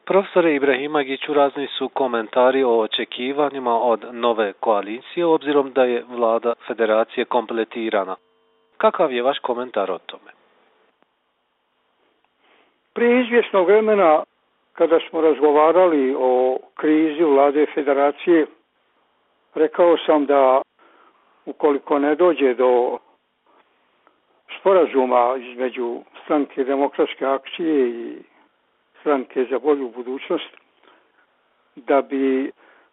Profesore Ibrahimagiću, razni su komentari o očekivanjima od nove koalicije, obzirom da je vlada federacije kompletirana. Kakav je vaš komentar o tome? Prije izvjesnog vremena, kada smo razgovarali o krizi vlade federacije, rekao sam da ukoliko ne dođe do sporazuma između Stranke demokratske akcije i Stranke za bolju budućnost, da bi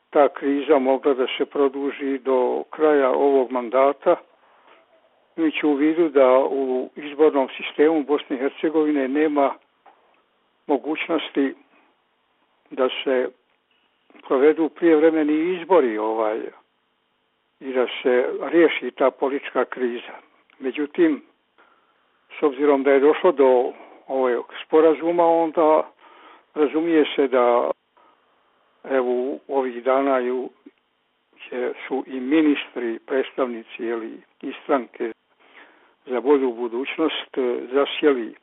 ta kriza mogla da se produži do kraja ovog mandata, imajući u vidu da u izbornom sistemu Bosne i Hercegovine nema mogućnosti da se provedu prijevremeni izbori i da se riješi ta politička kriza. Međutim, s obzirom da je došlo do ovog sporazuma, onda razumije se da evo ovih dana su i ministri, predstavnici i Stranke za bolju budućnost zasjeli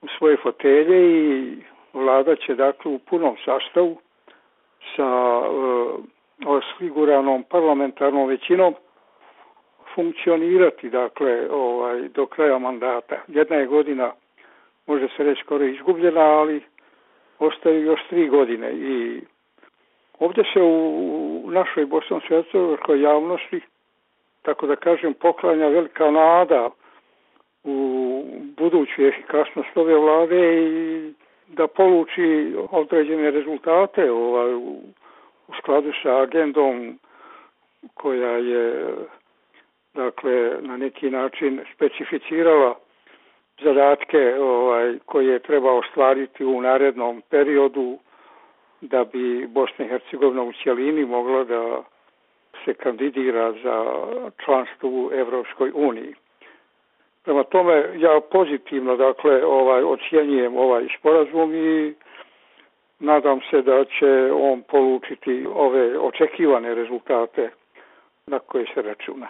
u svoje fotelje i vlada će dakle u punom sastavu sa osiguranom parlamentarnom većinom funkcionirati dakle do kraja mandata. Jedna je godina, može se reći, skoro izgubljena, ali ostaju još 3 godine i ovdje se u našoj bosansko-hercegovačkoj javnosti, tako da kažem, poklanja velika nada u buduću efikasnost ove vlade i da poluči određene rezultate u skladu sa agendom koja je dakle na neki način specificirala zadatke koje treba ostvariti u narednom periodu da bi Bosna i Hercegovina u cjelini mogla da se kandidira za članstvo u Evropskoj uniji. Prema tome, ja pozitivno dakle ocjenjujem ovaj sporazum i nadam se da će on polučiti ove očekivane rezultate na koje se računa.